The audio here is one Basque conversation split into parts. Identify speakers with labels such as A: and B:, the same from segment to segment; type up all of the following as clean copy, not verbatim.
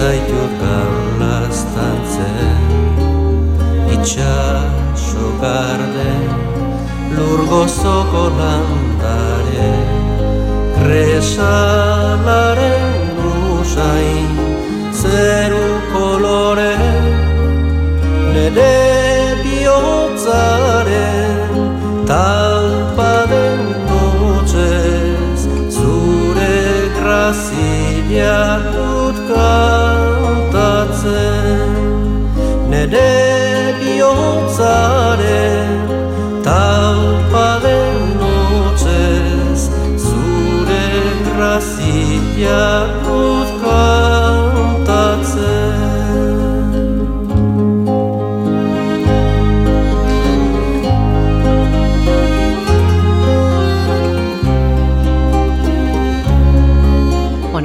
A: zaitut gaulaztantzen, itxaso garden, lur gozoko landare, kresalaren usain, zeru kolore, nere bihotzaren, talpaden notxez, zure grazia dut kantatzen, nere bihotzaren, talpaden notxez, zure grazia dut kantatzen.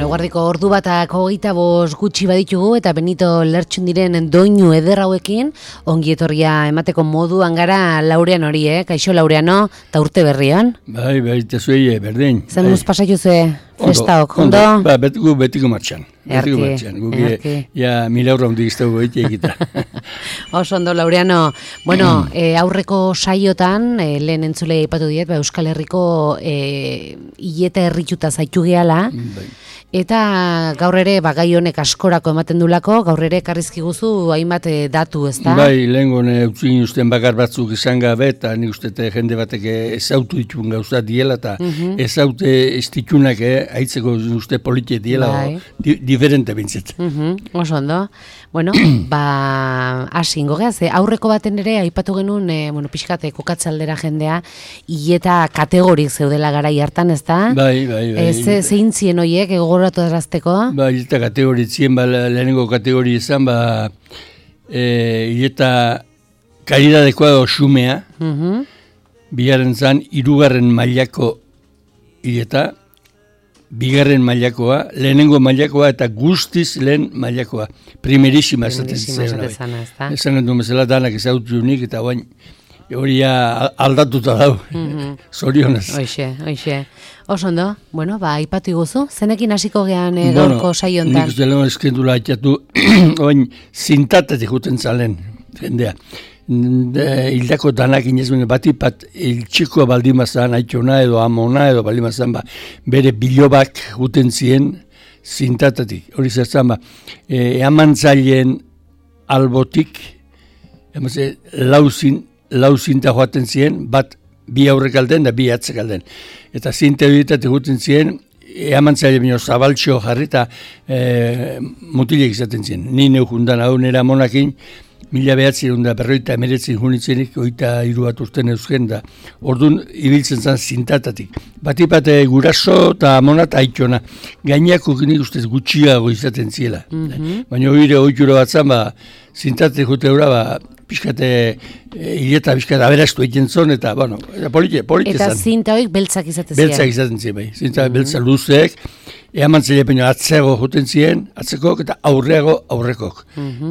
B: Eguerdiko ordu batak 25 gutxi baditugu eta Benito Lertxundiren doinu eder hauekin ongi etorria emateko moduan gara Laurean hori, Kaixo Laureano, eta urte berrian.
C: Bai, tezuei berdin.
B: Zen muz pasaitu ze festaok, ondo?
C: Ba, betiko martxan. Erki. Ja, 1.000 euro hondik iztegu egita.
B: Oso ondo, Laureano. Bueno, aurreko saiotan, lehen entzule ipatu diet, Euskal Herriko hileta herrituta zaitu gehala. Bai. Eta gaur ere gai honek askorako ematen dulako, gaur ere karrizki guzu hainbat datu, ezta?
C: Bai, lehen utzin usten bakar batzuk izan gabe, eta nik uste jende batek ezautu ditun gauza diela, eta ezaute ez ditunak haitzeko uste politia diela, diferente bintzet.
B: Oso ondo. Bueno, hasi ingo geaz, aurreko baten ere aipatu genuen, pixkate kokatzaldera jendea, hileta kategorik zeudela garai hartan, ezta?
C: Bai.
B: Zein zien horiek, gogoratu erazteko?
C: Ba, hileta kategoritzien, lehenengo kategori izan, hileta kalidadekoa xumea, bigarren zan, 3. mailako hileta, bigarren mailakoa, lehenengo mailakoa eta guztiz lehen mailakoa. Primerísima esaten zen. Esan du bezala danak ezautu nik eta bain hori aldatuta dau. Zorionez.
B: Hoxe. Oso ondo, aipatu iguzu, zenekin hasiko gean gaurko saio hontan?
C: Nik uste lehen eskendula haitatu, bain zintatetik juten zalen, jendea. Hildako danak inezmen batipat iltxikoa baldimazan, aitxona edo amona edo baldimazan, bere bilobak guten zien zintatatik. Hori zertzen, eamantzaileen albotik, lau zinta joaten zien, bat bi aurrek alden da bi atzek alden. Eta zinta horitatik guten zien, eamantzaile bino zabaltxo jarri eta mutilek izaten zien. Ni neujundan hau nera monakin, 1950 junitzenik, 23 bat urten eusken da. Orduan, ibiltzen zen zintatatik. Batipat guraso eta amonat aitxona. Gainako nik ustez gutxiago izaten ziela. Baina hori oitura bat zan, zintatek jute eura, pixkate hileta pixkate aberastu egiten zon, eta polite zan.
B: Eta zinta horiek beltzak izaten ziren?
C: Beltzak izaten ziren, bai. Zinta beltza luzeek, eamantzaile peino atzeago juten ziren, atzekok eta aurrekok.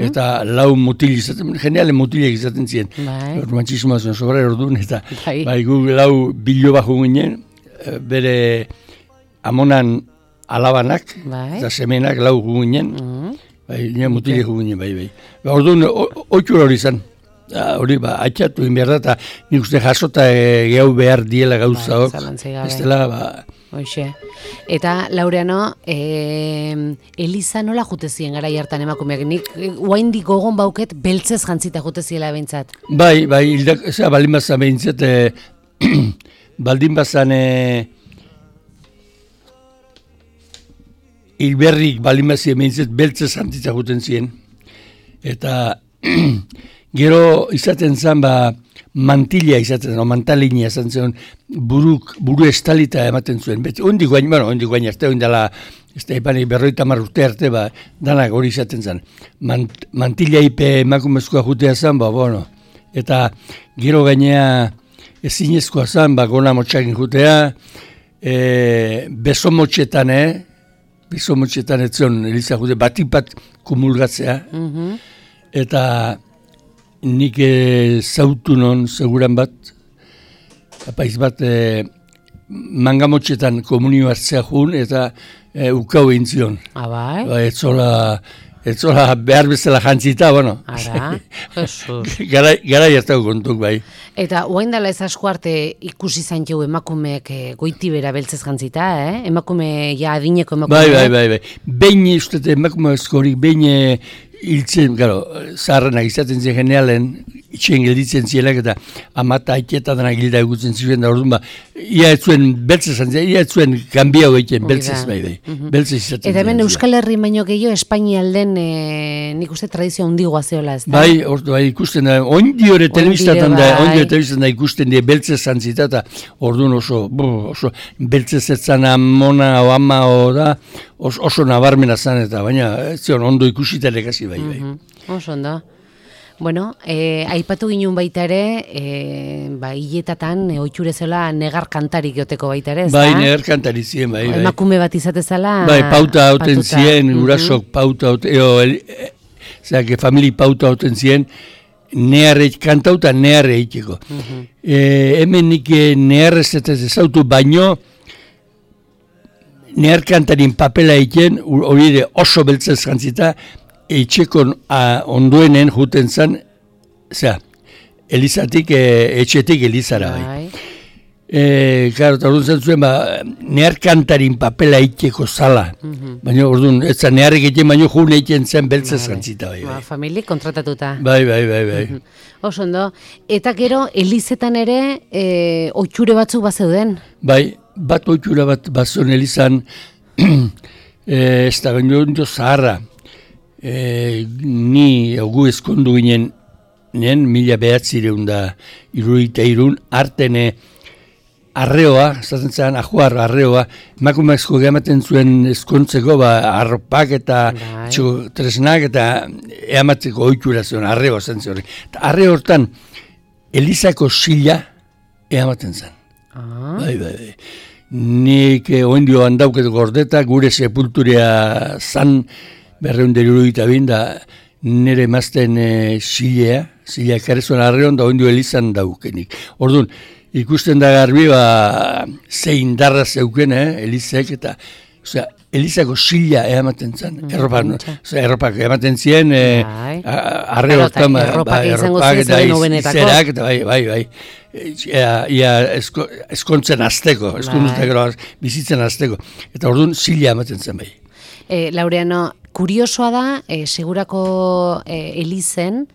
C: Eta lau mutil izaten, geniale mutilek izaten ziren. Mantxismoa zuen sobra orduan, eta gu lau biloba juginen, bere amonan alabanak, eta semenak lau juginen, mutilek juginen, bai. Orduan, oitura hori zan. Hori, atxatu inberda, eta nik uste jasota gehau behar diela gauzaok. Ez dela,
B: Hoxe. Eta, Laureano, Eliza nola jute ziren gara hartan emakumeak? Nik oaindik gogon bauket beltzez jantzita jute ziela behintzat.
C: Bai, baldin bazan behintzat, baldin bazan hilberrik baldin bazan behintzat beltzez jantzita juten ziren. Eta gero izaten zen, mantila izaten zen, mantalina izaten zen, buru estalita ematen zuen. Ondik guain arte, ondala, ez da ipanik 50 urte arte, danak hori izaten zen. Mantila ipe emakumezkoa jutea zen, eta gero gainea ezinezkoa zen, gona motxakin jutea, beso motxetan ez zion, Eliza jute, batipat kumulgatzea, eta nik zautu non seguran bat, apaiz bat mangamotxetan komunio hartzea jun eta ukau egin zion.
B: Bai?
C: Ez ez zola behar bezala jantzita, bueno.
B: Ara, Jesus.
C: Gara jaztako kontuk, bai.
B: Eta oain dela ez asko arte ikusi zaintiu emakumeek goitibera beltzez jantzita, emakume, ja adineko emakume.
C: Bai. Behin uste emakume eskorik, behin hiltzen, gero, zaharrenak izaten zen generalen, itxen gelditzen zielak eta amata aiketatanak gilda egutzen ziren da orduan ia ez zuen beltzez antzia, ia ez zuen kanbiau egiten beltzez bai. Beltzez izaten.
B: Eta hemen Euskal Herri baino gehiago Espainialden nik uste tradizio handigoa zeola, ez da?
C: Bai, ikusten da, ondiore telebistatan da ikusten die beltzez antzita eta orduan oso beltzez etzan amona o ama o da, oso nabarmena zan eta baina ez zion ondo ikusita lekasi bai.
B: Oso ondo. Bueno, aipatu ginen baita ere, hiletatan, oitxure zela negar kantarik joteko baita ere, ez da?
C: Bai, negar kantari ziren, bai.
B: Emakume bat izatezala...
C: Bai, pauta hauten ziren, urasok pauta hauten, famili pauta hauten ziren, neharreik kantauta neharre eiteko. Hemen nik neharrez ez autu baino, nehar kantarin papela eiken, hori ere oso beltzez jantzita, etxeko ondoenen juten zan, elizatik, etxetik elizara bai. Claro, eta orduan zen zuen, nehar kantarin papela eiteko zala. Baina orduan, ez zan neharrik egiten, baina jun egiten zen beltzez jantzita bai.
B: Famili kontratatuta.
C: Bai.
B: Oso ondo. Eta gero, elizetan ere, oitxure batzuk bazeuden?
C: Bai, bat oitxura bat bazuen elizan, ez da gaino zaharra. Ni gu eskondu ginen 1963 artene arreoa, zaten zen ajuar arreoa, emakumezko gehiamaten zuen eskontzeko arropak eta tresnak eta eamatzeko oitxura zuen, arreoa zen zuen. Arreo hortan, elizako sila eamaten zen. Bai. Nik oindio handauketu gordeta, gure sepulturea zan, 272 da nire mazten zilea karezuen arreon da oindio elizan daukenik. Orduan, ikusten da garbi ze indarra zeuken elizek eta elizako zila ematen zen. Erropak ematen ziren arreotan
B: erropak eta
C: izerak eta bai. Ia eskontzen azteko, bizitzen azteko. Eta orduan zila ematen zen bai.
B: Laureano, kuriosoa da, segurako elizen,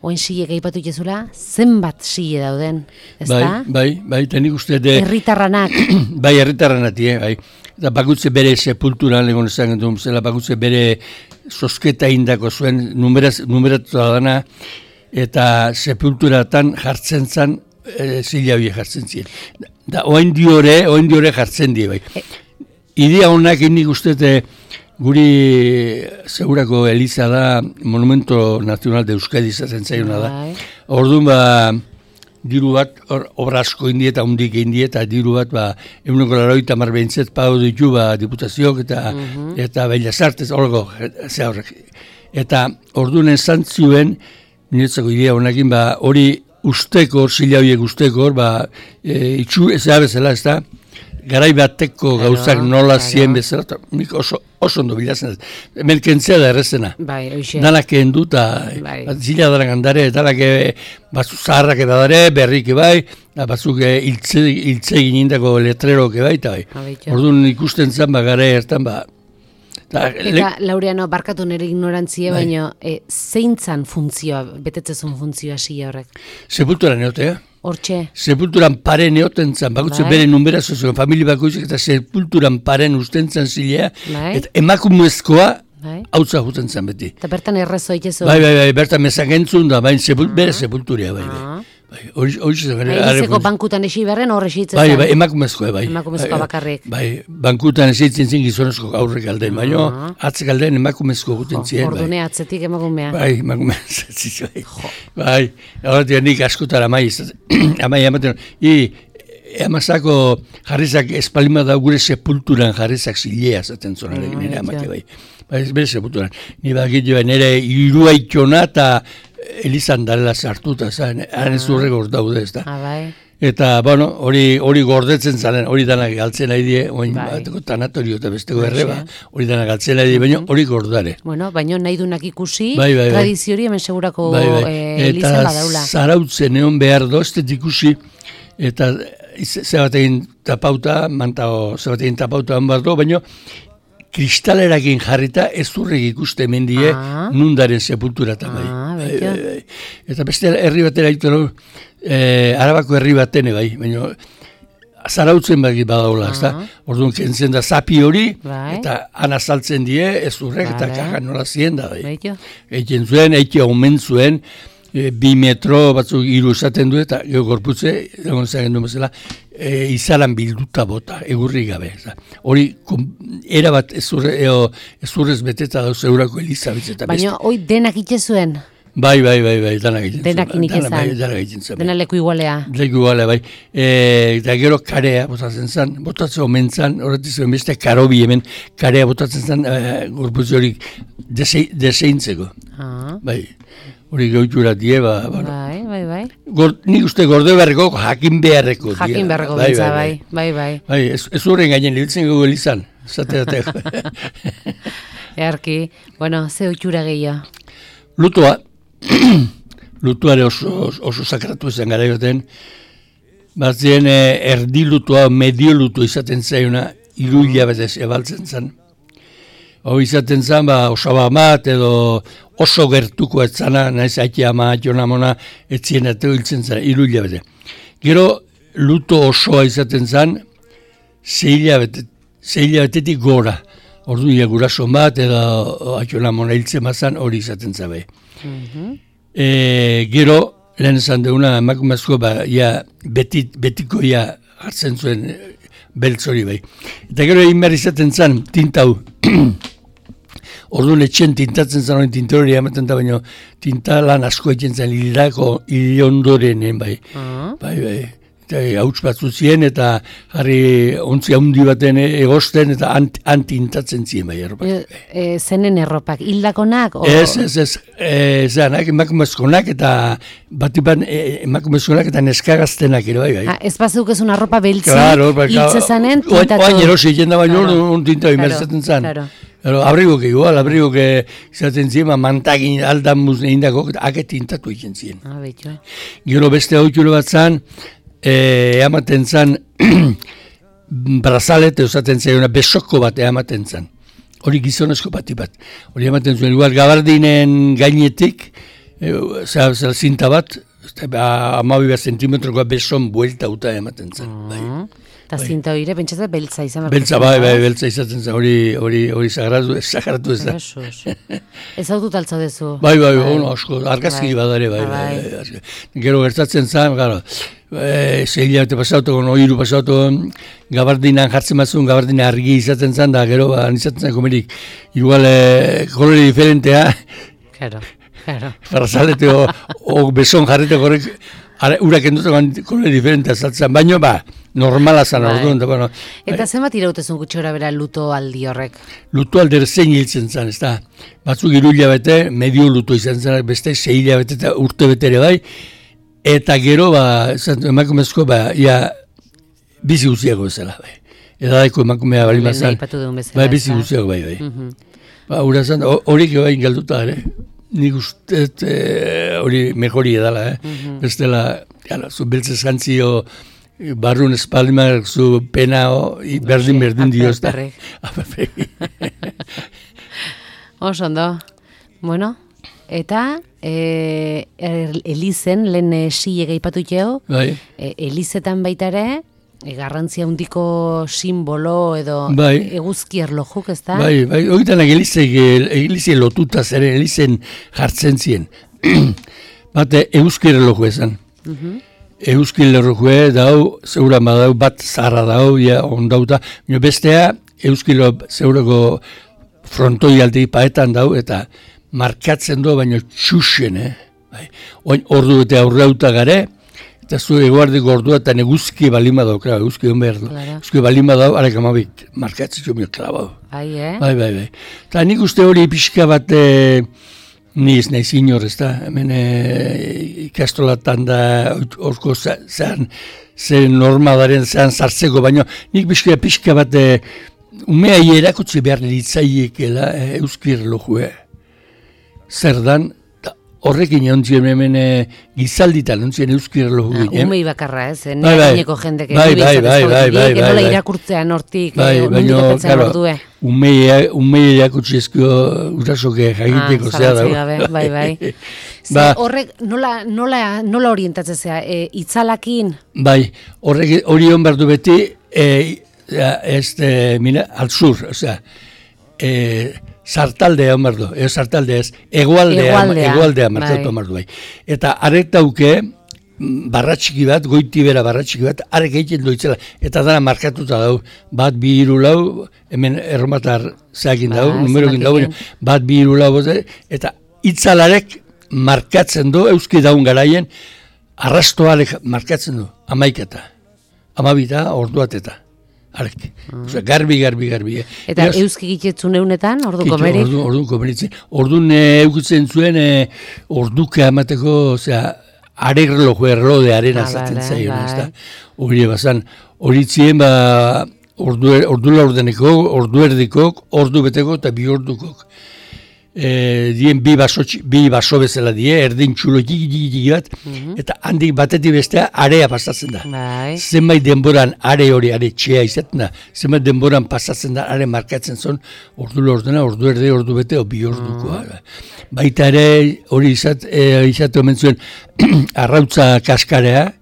B: oen sile gaipatu jezula, zenbat sile dauden, ez da?
C: Bai, eta nik uste...
B: Herritarranak.
C: Bai, herritarranak, bai. Eta bakutze bere sepulturan, legon esan gentu, bakutze bere sosketa indako zuen, numeratu dana, eta sepulturatan jartzen zan, zile hori jartzen ziren. Da, oen diore jartzen die, bai. Idea honak nik uste guri segurako eliza da Monumento Nacional de Euskadi izaten zaiona da. Orduan diru bat, obra asko indie eta hundik indie eta diru bat 180 behintzet pago ditu diputaziok eta Bellas Artes horreko horrek. Eta orduan esan zuen, niretzako idea honakin hori usteko, zila horiek usteko, itxu ez da bezala, ez da, garai bateko gauzak nola zien bezala, nik oso ondo bilatzen ez. Hemen kentzea da errezena.
B: Bai, oixe.
C: Danak kendu eta zila danak andare, danak batzuk zaharrak edadare, berrik bai, batzuk hiltze ginindako letreroke bai, eta bai. Orduan ikusten zen, garai hartan,
B: Eta, Laureano, barkatu nire ignorantzia, baina zeintzan funtzioa, betetzezun funtzioa sila horrek?
C: Sepultura neotea.
B: Hortxe?
C: Sepulturan pare neoten zan, bakutze bere numerazio zuen, familia bakoitzak eta sepulturan paren usten zan zilea, eta emakumezkoa hautza juten zan beti.
B: Eta bertan errazo itezu?
C: Bai, bertan mezakentzun da, bere sepulturia, bai.
B: Elizeko bankutan esi berren horre esitzen
C: zen? Bai, emakumezkoa, bai.
B: Emakumezkoa bakarrik.
C: Bai, bankutan esitzen zin gizonezko aurrek aldean, baina atzek aldean emakumezko guten ziren.
B: Ordune atzetik emakumea.
C: Bai, emakumea atzetik, bai. Horretik nik askotara amai ematen. Amazako jarrizak espalima da gure sepulturan jarrizak zilea zaten zonarekin nire amake, bai. Bai, ez bere sepulturan. Nire iruaitxona eta elizan darela sartuta, haren zurrek hor daude, ez da.
B: Bai.
C: Eta, bueno, hori gordetzen zaren, hori danak galtzen nahi die, oin bateko tanatorio eta besteko erreba, hori danak galtzen nahi die, baina hori gordare.
B: Bueno, baina nahi dunak ikusi, tradiziori hemen segurako elizan badaula.
C: Eta zarautzen egon behar doztet ikusi, eta zebatekin tapauta, zebatekin tapauta hon behar do, baina kristalerakin jarrita ez zurrek ikuste mendie nundaren sepultura eta bai. Eta beste herri batera ditu, Arabako herri batene bai, baina zarautzen badaula, ezta? Orduan kentzen da zapi hori, eta ana saltzen die, ez zurrek, eta kajan nola zien da bai. Eiken zuen, omen zuen, 2 metro batzuk 3 esaten du, eta gorputze, egon zagen du bezala, izalan bilduta bota, egurri gabe. Hori, erabat ez zurrez beteta dauz eurako Elizabetz.
B: Baina, hoi denak itxe zuen?
C: Bai, denak egiten.
B: Denak inik ezan. Dena leku igualea.
C: Leku igualea, bai. Eta gero karea botatzen zen, botatzen omen zen, horretik zuen beste karobi hemen, karea botatzen zen, gorputzi hori deseintzeko. Bai, hori gautura die,
B: Bai.
C: Nik uste gorde beharreko, jakin beharreko.
B: Jakin beharreko bintza, bai.
C: Bai, ez horren gainen litzen gogo elizan, zateatek.
B: Earki, bueno, ze oitura gehiago.
C: Lutuare oso sakratu ezen gara joten, batzien erdi lutua, medio lutua izaten zaiuna, 3 hilabetez ebaltzen zen. Hau izaten zen, osaba bat edo oso gertuko etzana, nahiz aiki ama, jonamona, etzien eta hiltzen zen, 3 hilabete. Gero, luto osoa izaten zen, 6 hilabetetik gora. Ordu guraso bat, edo aionamona hiltzen mazan, hori izaten zabe. Gero, lehen esan deuna, emakumezko, betiko hartzen zuen beltz hori bai. Eta gero egin behar izaten zen, tintau. Orduan etxen tintatzen zen hori tinta hori ematen da, baina tinta lan asko egiten zen ilondorenen bai. Bai. Hauts batzu ziren eta jarri ontzi handi baten egosten eta antintatzen ziren bai erropak.
B: Zenen erropak, hildakonak?
C: Ez, zanak emakumezkonak eta batipan emakumezkonak eta neskagaztenak ere bai.
B: Ez bazuk ez una arropa beltzi, hiltze zanen tintatu?
C: Oain erosi egiten da baina un tinta imerzaten zan. Abrigok igual, izaten ziren, mantagin aldan muzne indako, ake tintatu egiten ziren. Gero beste hautulo bat zan, ematen zan brazalet eusaten zaiona besoko bat ematen zan. Hori gizonezko bati bat. Hori ematen zuen, igual gabardinen gainetik, zinta bat, 12 zentimetrokoa beson buelta uta ematen zan.
B: Eta zinta hori, pentsatzen beltza izan.
C: Beltza, beltza izaten zen, hori sagratu ez da.
B: Ez hau dut altza dezu.
C: Bai, asko, argazki badare, bai. Gero gertatzen zen, gara, 6 hilabete pasautu, 3 pasautu, gabardinan jartzen batzun, gabardina argi izaten zen, da gero, izaten zen komerik, igual, kolore diferentea.
B: Claro.
C: Farazalete o beson jarrete horrek, urak endutean kolore diferentea saltzen, baino normala zan orduan.
B: Eta zenbat irautezun gutxora bera luto aldi horrek?
C: Luto alder zein hiltzen zen, ez da. Batzuk 3 hilabete, medio luto izan zen, beste 6 hilabete eta urte betere bai, eta gero, emakumezko, bizi guziago bezala, bai. Edadaiko emakumea bali mazan, bizi guziago bai. Hura zan, horik bai galduta, nik uste hori mejori edala, bestela, zu beltzez jantzio, barrun espaldimak zu pena berdin diozta.
B: Oso ondo. Bueno, eta Elizen, lehen sile gaipatu txeo, Elizetan baitare, garrantzia handiko simbolo edo eguzki erlojuk, ez da? Bai,
C: horitanak Elize lotuta zeren, Elizen jartzen ziren. Bate, eguzki erloju esan. Euskil lerrokue dau, zeura badau, bat zarra dau, ondauta, bestea, euskil zeurako frontoi aldi paetan dau, eta markatzen du, baina txusen, Oin ordu eta aurreuta gare, eta zu eguardiko ordua eta eguzki balima dau, eguzki hon behar du. Eguzki balima dau, arek amabit, markatzen du, klabau.
B: Bai.
C: Eta nik uste hori pixka bat, Ni ez naiz inor, ez da, hemen ikastolatan da, orko zean normalaren zean sartzeko, baina nik pixka bat umea erakutsi behar litzaiekela euski erlojue. Zer dan, horrekin ontzien hemen gizalditan ontzien euski erloju ginen.
B: Umei bakarra ez, negineko jendek. Nola irakurtzean hortik, nondik apetzen ordue.
C: Umei erakutsi ezko urasoke jagiteko zea dago.
B: Bai. Horrek nola orientatzen zea, itzalakin?
C: Bai, hori hon behar du beti, al sur, osea, sartaldea hon du, sartaldea ez, egoaldea markatu hon du bai. Eta arek dauke, barratxiki bat, goiti bera barratxiki bat, arek egiten doitzela, eta dara markatuta dau, bat 2 3 4, hemen erromatar zeakin dau, numerokin dau, bat 2 3 4, eta itzalarek markatzen du, euski daun garaien, arrastoarek markatzen du, 11, 12, orduateta. Arek, garbi.
B: Eta euski gitetzun eunetan, orduko merik?
C: Orduko meritzen. Ordun eukitzen zuen, orduke amateko, areglojo erlode arena zaten zaion, ez da? Hori bazan, hori ziren, ordu laurdeneko, ordu erdikok, ordu beteko eta 2 ordukok. Dien bi baso bezala erdin txulo txiki bat, eta handik batetik bestea area pasatzen da. Zenbait denboran are txea izaten da, zenbait denboran pasatzen da, are markatzen zon, ordu laurdena, ordu erde, ordu bete, 2 ordukoa. Baita ere, hori izate omen zuen, arrautza kaskarea,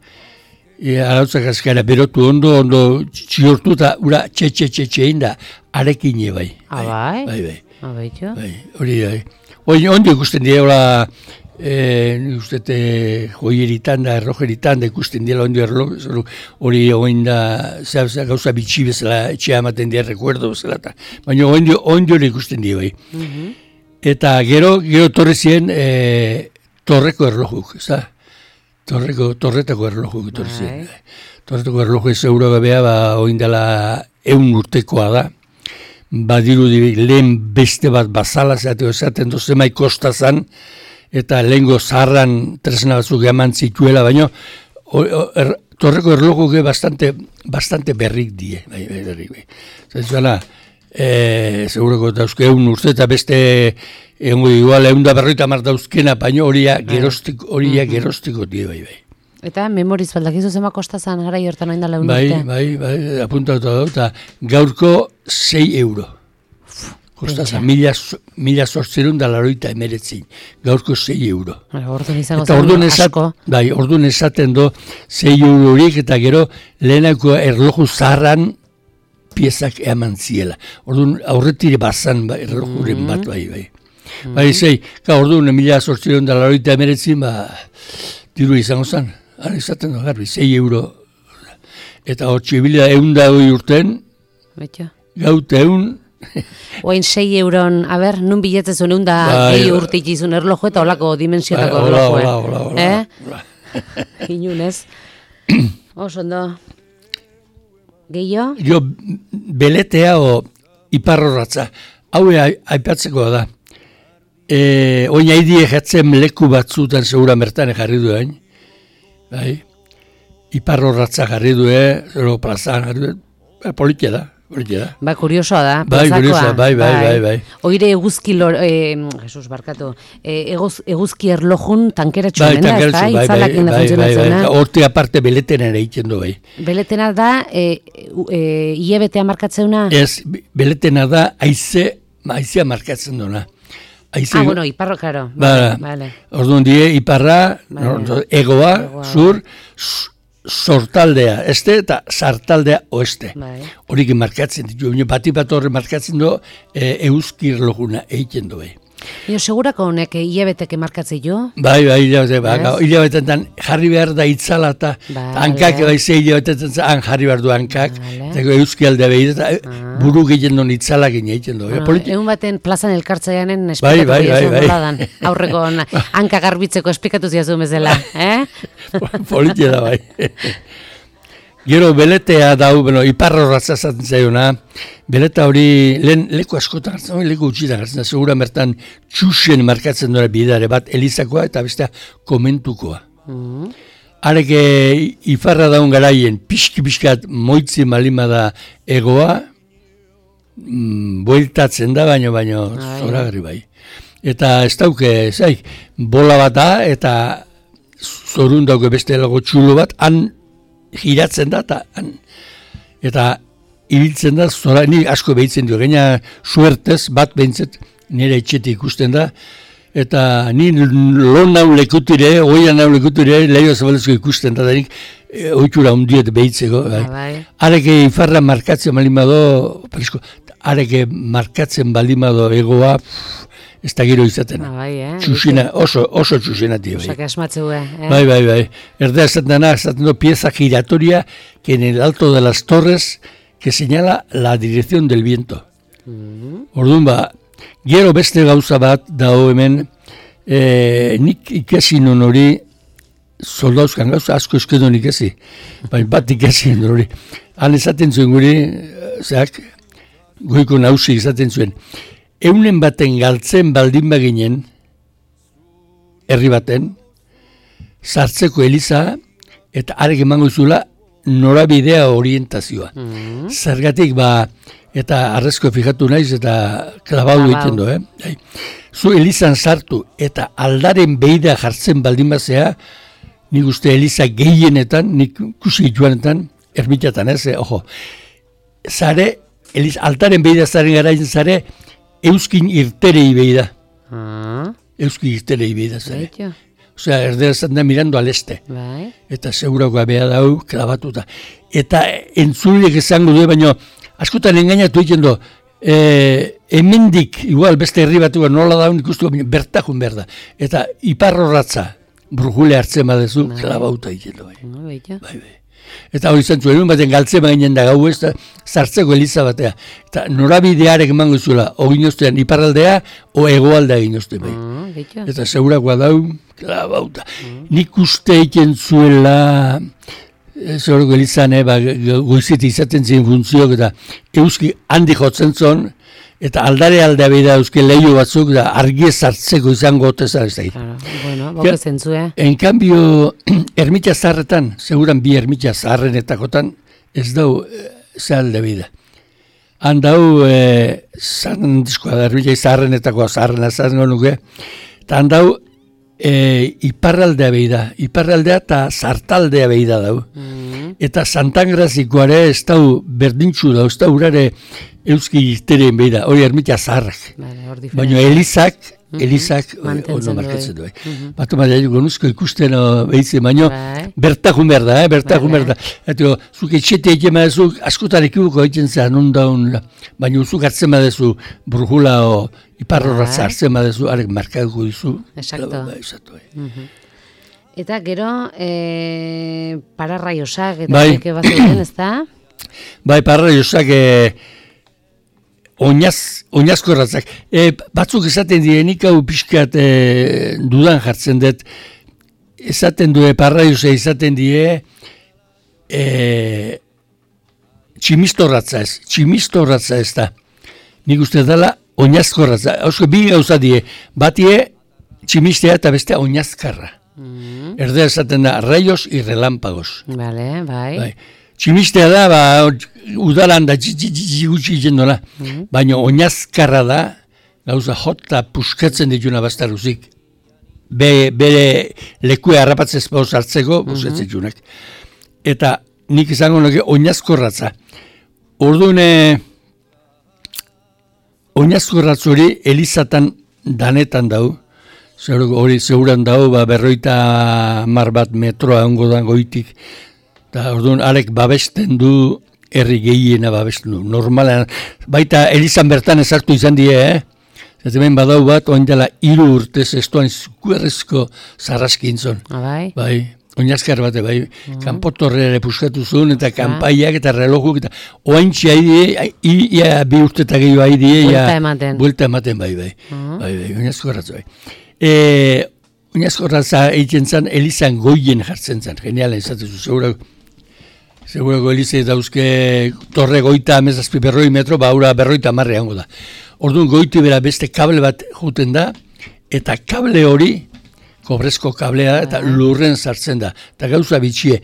C: berotu ondo txiortu eta ura txe da, arekin bai. Bai. Hori da. Ondo ikusten dira, joieritan da, errojeritan da ikusten dira ondo hori oin da, gauza bitxi bezala, etxea ematen dira, rekuerdo bezala, baina ondo ikusten dira bai. Eta gero torre ziren torreko erlojuk, ez da? Torretako erlojuk torre ziren. Torretako erloju ez euro gabea, oin dela 100 urtekoa da. Badiru lehen beste bat bazala esaten dozemai kostazan, eta lehengo zaharran tresna batzuk eman zituela, baina torreko erlojuke bastante berrik die. Zaitzuela, segurako dauzke 100 urte eta beste igual 150 dauzkena, baina horiak gerostiko die bai.
B: Eta memoriz baldakizu zema kostazan gara jortan oin dala 1 urte?
C: Bai, apuntatu da, eta gaurko 6 euro. Kostazan, 1889, gaurko 6 euro.
B: Orduan izango zen asko.
C: Bai, orduan esaten do 6 euro horiek, eta gero lehenako erloju zaharran piezak eman ziela. Orduan aurretire bazan erlojuren bat bai. Bai, orduan 1889, diru izango zen. Hara izaten da garbi, 6 euro. Eta hortxe bila 100 urten, gaute 1.
B: Oain 6 euron, nun biletzezun 100 urtik izun erloju eta olako dimensiotako erloju.
C: Hola.
B: Inunez. Osondo. Gehiago?
C: Jo, beletea o iparrorratza. Hau aipatzeko da. Oin haidie jatzen leku batzutan segura mertane jarri duen. Bai, iparrorratza jarri duen, zero plazan jarri duen, politia da.
B: Ba, kuriosoa da,
C: plazakoa. Bai.
B: Oire eguzki, Jesus, barkatu, eguzki erlojun tankeratxu da, ez da? Itzalakin da funtzionatzen da.
C: Horte aparte beletena ere egiten du, bai.
B: Beletena da, IEBT-a markatzeuna? Ez,
C: beletena da, haizea markatzen duena.
B: Bueno, iparro, karo. Vale.
C: Orduan die, iparra, egoa, sur, sortaldea, eta sartaldea oeste. Horikin markatzen ditu, bati bat horre markatzen du, euskir loguna egiten du.
B: Segurako honek hilabeteke markatzei jo?
C: Bai, hilabetetan jarri behar da itzala eta hankak hilabetetan jarri behar du hankak, eta euski aldea behir, eta buru gehien duen itzalak egiten du.
B: Egun baten plazan elkartzaianen esplikatu ziazu, aurreko hankak garbitzeko esplikatu ziazu bezala.
C: Politia da bai. Gero beletea dau, iparrorratza zaten zaiona, beleta hori lehen leku askotan hartzen, leku utxitan hartzen, segura bertan txusen markatzen dira bidare bat, elizakoa eta bestea komentukoa. Areke iparra daun garaien, pixki-pixkat moitzi malima da egoa, bueltatzen da, baino zoragarri bai. Eta ez dauke, bola bat da, eta zorun dauke beste lago txulo bat, han giratzen da, eta ibiltzen da, zora, ni asko behitzen dio, gaina suertez, bat behintzet nire etxetik ikusten da, eta ni lon naun lekutire, oian naun lekutire, lehio zabalezko ikusten da, nik oitura hundiet behitzeko. Areke ifarra markatzen balimado, areke markatzen balimado egoa, ez da gero izaten. Txusina, oso txusinati.
B: Osak asmatzu,
C: Bai. Erdea esaten do pieza giratoria que en el alto de las torres que señala la dirección del viento. Orduan gero beste gauza bat dago hemen, nik ikasi non hori, soldauzkan gauza asko eskedo nik ikasi, bat ikasi non hori. Han esaten zuen guri, goiko nausi esaten zuen, eunen baten galtzen baldin baginen, herri baten, sartzeko eliza, eta arek emango izula norabidea orientazioa. Zergatik eta arrezko fijatu naiz, eta klabau egiten du, Zu elizan sartu, eta aldaren beida jartzen baldin bazea, nik uste eliza gehienetan, nik kusi joanetan, ermitatan zare, altaren beida zaren garaien zare, euskin irterei beida. Euskin irterei beida zare. Osea, erdera zaten da mirando al este. Eta segurakoa beha dau, klabatuta. Eta entzuliek izango du, baina askotan engainatu egiten du, hemendik, igual beste herri batu nola daun ikustu, bertakun behar da. Eta iparrorratza, brujule hartzen badezu, klabauta egiten du. Bai. Eta hori zentzu, egun baten galtzen baginen da gau ez, zartzeko eliza batea. Eta norabidearek emango zuela, o ginoztean iparraldea, o egoaldea ginozte bai. Eta segurakoa dau, klabauta. Nik uste egiten zuela, zoroko elizan, goiziti izaten ziren funtzioak, eta euski handi jotzen zon, eta aldare beida euski lehio batzuk, da argi zartzeko izango otezan ez da.
B: Boke zentzue.
C: En cambio, ermitxa zaharretan, seguran bi ermitxa zaharrenetakotan, ez dau alde beida. Han dau, zarrendizkoa da, ermitxa zaharrenetakoa zaharren nuke, eta han dau, iparraldea beida, iparraldea eta zartaldea beida dau. Eta santangrazikoare ez dau berdintxu dau, ez dau urare euski irtereen beida, hori ermitxa zaharrak. Baina elizak ono markatzen du. Batu maia gonuzko ikusten behitzen, baina bertakun behar da, bertakun behar da. Eta zuk etxete egin badezu, askotan ekibuko egiten zen ondaun, baina zuk hartzen badezu brujula o iparrorratza hartzen badezu, arek markatuko dizu.
B: Exacto. Eta gero, pararraiosak, eta eke bazen, ez da?
C: Bai, pararraiosak, oinazko erratzak. Batzuk esaten direnik hau pixkat dudan jartzen dut. Esaten du parraiosa esaten die tximistorratza ez. Tximistorratza ez da. Nik uste dela oinazko erratza. Hausko bi gauza die. Batie tximistea eta bestea oinazkarra. Erdea esaten da raios y relámpagos.
B: Bai.
C: Tximistea da, udalan da gutxi jendola, baina oinazkarra da, gauza jota puskatzen dituna bastarruzik, bere lekua harrapatzez pauz hartzeko, buskatzen ditunak. Eta nik izango nuke oinazkorratza. Orduan, oinazkorratzori elizatan danetan dau, hori zeuran dau, 50 metroa ongo da goitik, eta orduan arek babesten du, herri gehiena babesten du. Normalan, baita elizan bertan ezartu izan die, Eta hemen badau bat, oin dela 3 urtez estuan zuerrezko zarraskin zon. Bai, oinazkar bate, bai. Kanpotorrere puskatu zuen, eta kanpaiak eta relojuk, eta oaintxe ia 2 urte eta gehiago haidie, buelta ematen, bai, oinazko erratzu, bai. Oinazko erratza egiten zen, elizan goien jartzen zen, genialen izatezu, Segurako Elizei dauzke torre goita amezazpi 100 metro, ura 50 hango da. Orduan goiti bera beste kable bat juten da, eta kable hori, kobrezko kablea eta lurren sartzen da. Eta gauza bitxie,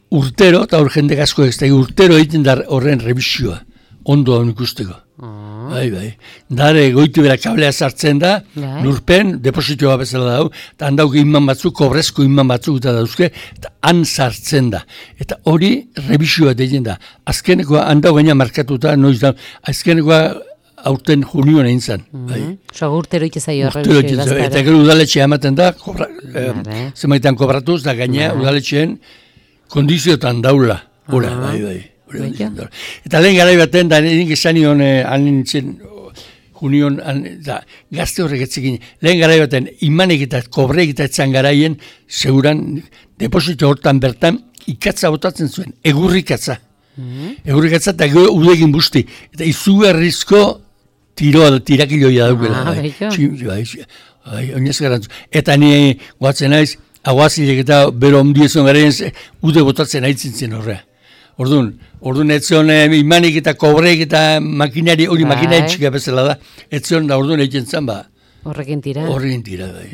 C: urtero, eta hor jende asko ez da, urtero egiten da horren revisioa, ondo hau ikusteko. Bai. Dare goiti bera kablea sartzen da, lurpen, depositoa bezala dau, eta handauk inman batzuk, kobrezko inman batzuk eta dauzke, eta han sartzen da. Eta hori revisioa egiten da. Azkenekoa handauk gaina markatuta, noiz da, azkenekoa aurten junioan egin zen.
B: Urtero itezaio revisioa.
C: Eta gero udaletxea ematen da, zemaitan kobratuz, da gaina udaletxeen kondizioetan daula. Hora, bai. Eta lehen garai baten, da nik esan nion, nintzen, junion, gazte horrek etzekin, lehen garai baten, imanek eta kobrek eta etzan garaien, seguran, deposito hortan bertan, ikatza botatzen zuen, egurrikatza. Egurrikatza eta gero udegin busti. Eta izugarrizko tirakiloia daukela. Oinez garantzu. Eta ni guatzen naiz, aguazilek eta bero ondiezon garaien, ude botatzen haitzintzen horrea. Orduan etzion imanik eta kobrek eta makinari, hori makinari txika bezala da, etzion da orduan egiten zen ba.
B: Horrekin tira,
C: bai.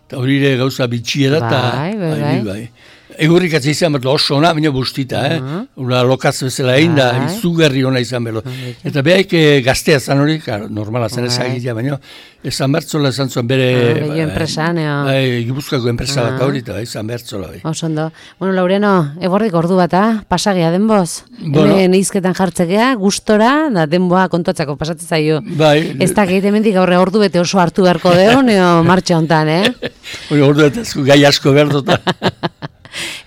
C: Eta hori ere gauza bitxia da, eta bai. Egurrikatza izan behar oso ona, baina bustita, Ura lokatz bezala egin da, izugarri ona izan behar. Eta behaik gaztea zan hori, normala zen ezagitea, baina esan bertzola esan zuen bere...
B: enpresan,
C: Gipuzkoako enpresa bat hori, eta esan bertzola.
B: Osondo. Bueno, Laureano, ebordik ordu bata, pasagia denboz. Hemen izketan jartzekea, gustora, da denboa kontuatzako pasatzen zaio. Ez da gehi hemendik aurre ordu bete oso hartu beharko deun, martxa hontan,
C: Ordu bete gai asko behar dut.